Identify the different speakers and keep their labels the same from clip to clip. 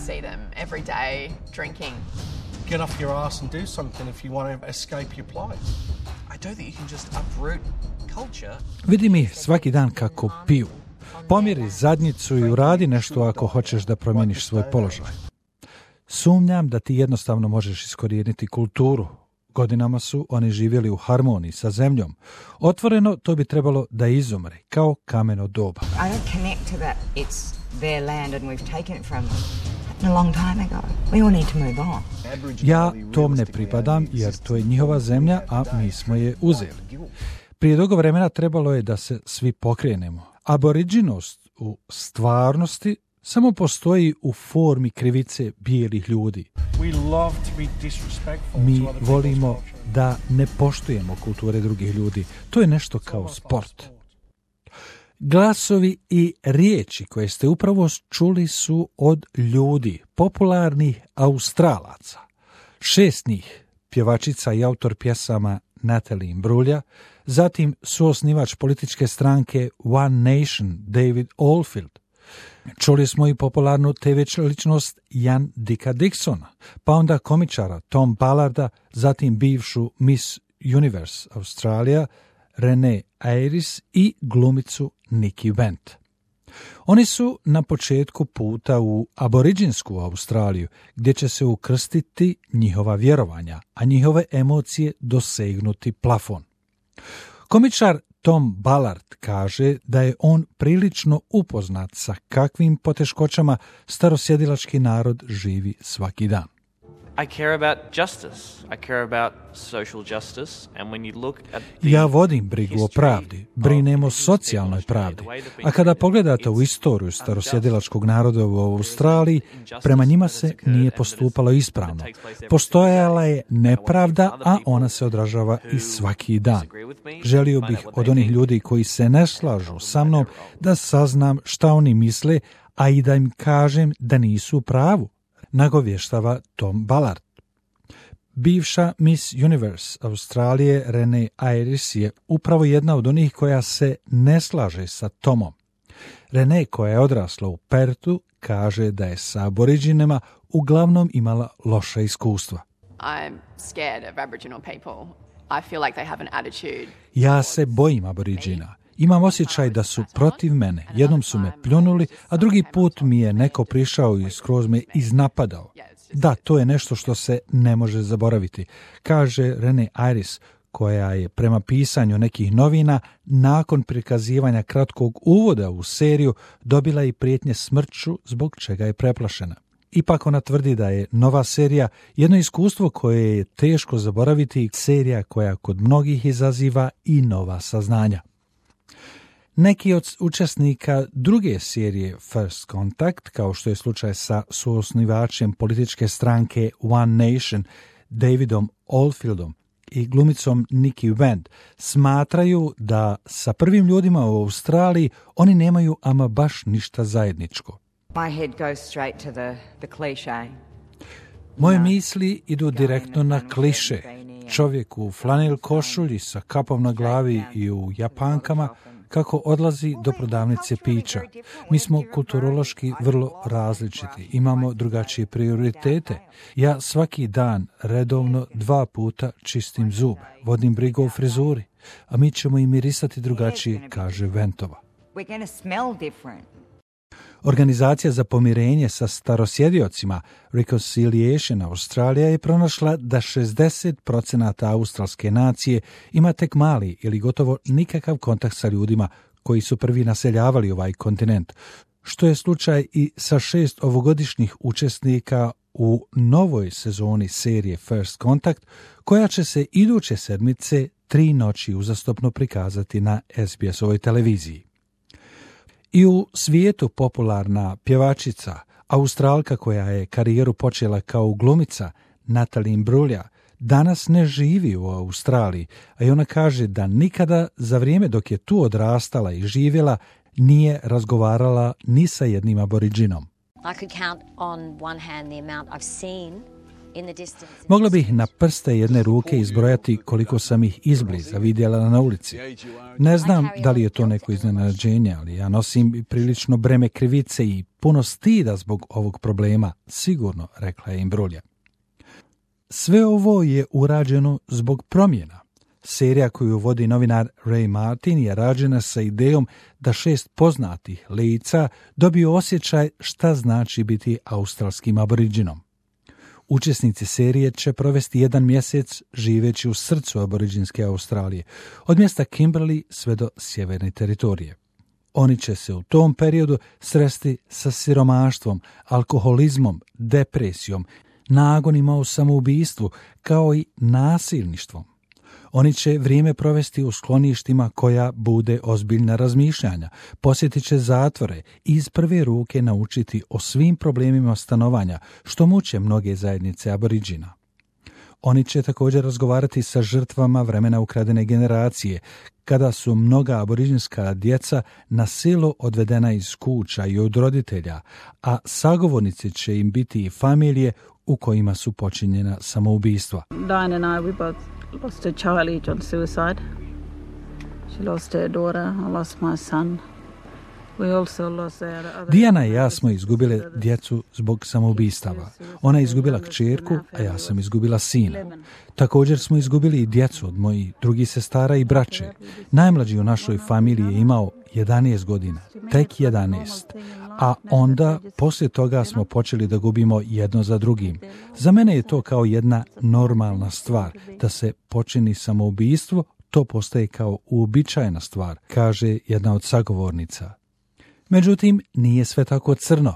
Speaker 1: see them every day drinking.
Speaker 2: Get off your ass and do something if you want to escape your plight.
Speaker 3: I don't think you can just uproot culture.
Speaker 4: Vidi mi svaki dan kako piju. Pomjeri zadnjicu i uradi nešto ako hoćeš da promijeniš svoj položaj. Sumnjam da ti jednostavno možeš iskorijeniti kulturu. Godinama su oni živjeli u harmoniji sa zemljom. Otvoreno to bi trebalo da izumre, kao kameno doba.
Speaker 5: I don't connect to that. It's their land and we've taken it from them a long time ago. We all need to move on.
Speaker 4: Ja tom ne pripadam jer to je njihova zemlja, a mi smo je uzeli. Prije dugo vremena trebalo je da se svi pokrenemo. Aboriđinost u stvarnosti samo postoji u formi krivice bijelih ljudi. Mi volimo da ne poštujemo kulture drugih ljudi. To je nešto kao sport. Glasovi i riječi koje ste upravo čuli su od ljudi, popularnih Australaca. 6 njih, pjevačica i autor pjesama Natalie Imbruglia, zatim suosnivač političke stranke One Nation David Oldfield. Čuli smo i popularnu TV ličnost Jan Dicka Dixona, pa onda komičara Tom Ballarda, zatim bivšu Miss Universe Australia Renee Ayres i glumicu Nikki Bent. Oni su na početku puta u aboriđinsku Australiju, gdje će se ukrstiti njihova vjerovanja, a njihove emocije dosegnuti plafon. Komičar Tom Ballard kaže da je on prilično upoznat sa kakvim poteškoćama starosjedilački narod živi svaki dan.
Speaker 3: I care about justice. I care about social justice. And when you look at
Speaker 4: Ja vodim brigu o pravdi, brinem o socijalnoj pravdi. A kada pogledate u istoriju starosjedilačkog naroda u Australiji, prema njima se nije postupalo ispravno. Postojala je nepravda, a ona se odražava i svaki dan. Želio bih od onih ljudi koji se ne slažu sa mnom da saznam šta oni misle, a i da im kažem da nisu u pravu, nagovještava Tom Ballard. Bivša Miss Universe Australije Renee Ayres je upravo jedna od onih koja se ne slaže sa Tomom. Renee, koja je odrasla u Pertu, kaže da je sa aboriđinima uglavnom imala loša iskustva.
Speaker 1: I'm scared of Aboriginal people. I feel like they have an attitude.
Speaker 4: Ja se bojim aboriđina. Imam osjećaj da su protiv mene. Jednom su me pljunuli, a drugi put mi je neko prišao i skroz me iznapadao. Da, to je nešto što se ne može zaboraviti, kaže Renee Ayres, koja je prema pisanju nekih novina nakon prikazivanja kratkog uvoda u seriju dobila i prijetnje smrću zbog čega je preplašena. Ipak ona tvrdi da je nova serija jedno iskustvo koje je teško zaboraviti, serija koja kod mnogih izaziva i nova saznanja. Neki od učesnika druge serije First Contact, kao što je slučaj sa suosnivačem političke stranke One Nation, Davidom Oldfieldom i glumicom Nikki Bent, smatraju da sa prvim ljudima u Australiji oni nemaju ama baš ništa zajedničko.
Speaker 5: My head goes straight to the cliché.
Speaker 4: Moje misli idu direktno na kliše. Čovjek u flanel košulji sa kapom na glavi i u japankama kako odlazi do prodavnice pića. Mi smo kulturološki vrlo različiti, imamo drugačije prioritete. Ja svaki dan redovno 2 puta čistim zube, vodim brigu o frizuri, a mi ćemo i mirisati drugačije, kaže Ventova.
Speaker 5: We're going to smell different.
Speaker 4: Organizacija za pomirenje sa starosjediocima Reconciliation Australia je pronašla da 60% australske nacije ima tek mali ili gotovo nikakav kontakt sa ljudima koji su prvi naseljavali ovaj kontinent, što je slučaj i sa 6 ovogodišnjih učesnika u novoj sezoni serije First Contact, koja će se iduće sedmice 3 noći uzastopno prikazati na SBS-ovoj televiziji. I u svijetu popularna pjevačica, Australka koja je karijeru počela kao glumica, Natalie Imbruglia, danas ne živi u Australiji, a i ona kaže da nikada za vrijeme dok je tu odrastala i živjela nije razgovarala ni sa jednim aboriđinom.
Speaker 6: I could count on one hand the amount I've seen
Speaker 4: Mogla bih na prste jedne ruke izbrojati koliko sam ih izbliza vidjela na ulici. Ne znam da li je to neko iznenađenje, ali ja nosim prilično breme krivice i puno stida zbog ovog problema, sigurno, rekla je Imbruglia. Sve ovo je urađeno zbog promjena. Serija koju vodi novinar Ray Martin je rađena sa idejom da 6 poznatih lica dobiju osjećaj šta znači biti australskim aboriđinom. Učesnici serije će provesti 1 mjesec živeći u srcu aboriđinske Australije, od mjesta Kimberley sve do sjeverne teritorije. Oni će se u tom periodu sresti sa siromaštvom, alkoholizmom, depresijom, nagonima u samoubistvu, kao i nasilništvom. Oni će vrijeme provesti u skloništima koja bude ozbiljna razmišljanja, posjetit će zatvore i iz prve ruke naučiti o svim problemima stanovanja što muče mnoge zajednice aboriđina. Oni će također razgovarati sa žrtvama vremena ukradene generacije, kada su mnoga aboriđinska djeca na silu odvedena iz kuća i od roditelja, a sagovornici će im biti i familije u kojima su počinjena samoubistva.
Speaker 6: Diane and I, we both lost a child each on suicide. She lost her daughter, I lost my son.
Speaker 4: Dijana i ja smo izgubile djecu zbog samoubistava. Ona je izgubila kćerku, a ja sam izgubila sina. Također smo izgubili i djecu od mojih drugih sestara i braće. Najmlađi u našoj familiji je imao 11 godina, tek 11. A onda, poslije toga smo počeli da gubimo jedno za drugim. Za mene je to kao jedna normalna stvar, da se počini samoubistvo, to postaje kao uobičajena stvar, kaže jedna od sagovornica. Međutim, nije sve tako crno.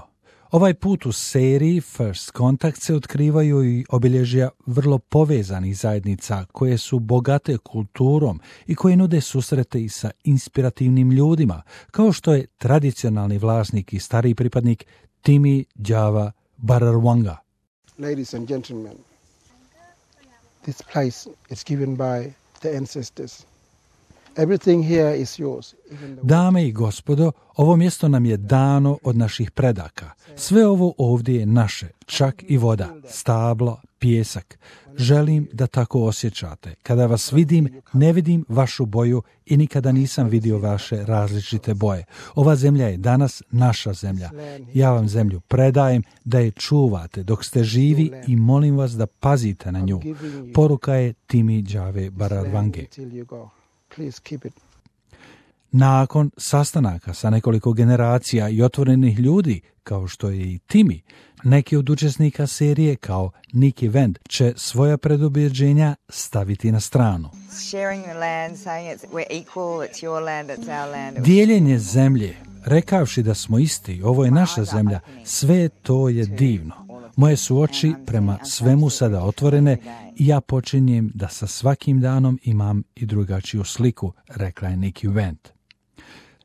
Speaker 4: Ovaj put u seriji First Contact se otkrivaju i obilježja vrlo povezanih zajednica koje su bogate kulturom i koje nude susrete i sa inspirativnim ljudima, kao što je tradicionalni vlasnik i stariji pripadnik Timi Java Bararwanga.
Speaker 7: Ladies and gentlemen, this place is given by the ancestors. Everything here is yours.
Speaker 4: Dame i gospodo, ovo mjesto nam je dano od naših predaka. Sve ovo ovdje je naše, čak i voda, stablo, pijesak. Želim da tako osjećate. Kada vas vidim, ne vidim vašu boju i nikada nisam vidio vaše različite boje. Ova zemlja je danas naša zemlja. Ja vam zemlju predajem da je čuvate dok ste živi i molim vas da pazite na nju. Poruka je Timi Jave Bararwange. Nakon sastanaka sa nekoliko generacija i otvorenih ljudi, kao što je i Timi, neki od učesnika serije, kao Nikki Wendt, će svoja predubjeđenja staviti na stranu. Dijeljenje zemlje, rekavši da smo isti, ovo je naša zemlja, sve to je divno. Moje su oči prema svemu sada otvorene i ja počinjem da sa svakim danom imam i drugačiju sliku, rekla je Nikki Wendt.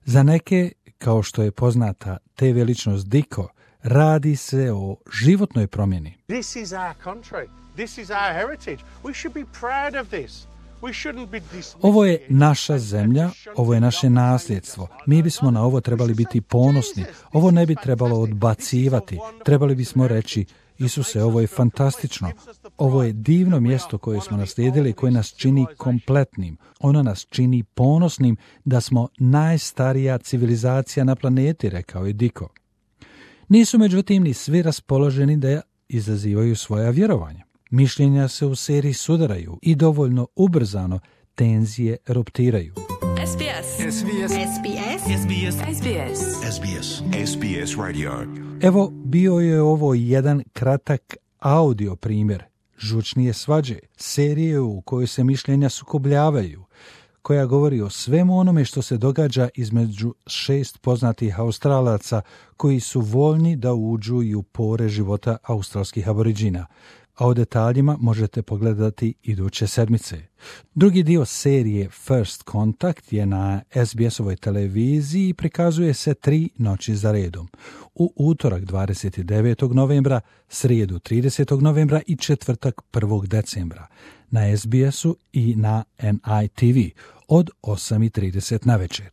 Speaker 4: Za neke, kao što je poznata TV ličnost Diko, radi se o životnoj promjeni.
Speaker 2: This is our country. This is our heritage. We should be proud of this.
Speaker 4: Ovo je naša zemlja, ovo je naše nasljedstvo. Mi bismo na ovo trebali biti ponosni. Ovo ne bi trebalo odbacivati. Trebali bismo reći, Isuse, ovo je fantastično. Ovo je divno mjesto koje smo naslijedili, koje nas čini kompletnim. Ono nas čini ponosnim da smo najstarija civilizacija na planeti, rekao je Diko. Nisu međutim ni svi raspoloženi da izazivaju svoja vjerovanja. Mišljenja se u seriji sudaraju i dovoljno ubrzano tenzije eruptiraju.
Speaker 8: SBS. SBS. SBS. SBS. SBS. SBS. SBS Radio.
Speaker 4: Evo, bio je ovo jedan kratak audio primjer Žučnije svađe, serije u kojoj se mišljenja sukobljavaju, koja govori o svemu onome što se događa između 6 poznatih Australaca koji su voljni da uđu i u pore života australskih aboriđina, a o detaljima možete pogledati iduće sedmice. Drugi dio serije First Contact je na SBS-ovoj televiziji i prikazuje se 3 noći za redom. U utorak 29. novembra, srijedu 30. novembra i četvrtak 1. decembra na SBS-u i na NITV od 8:30 navečer.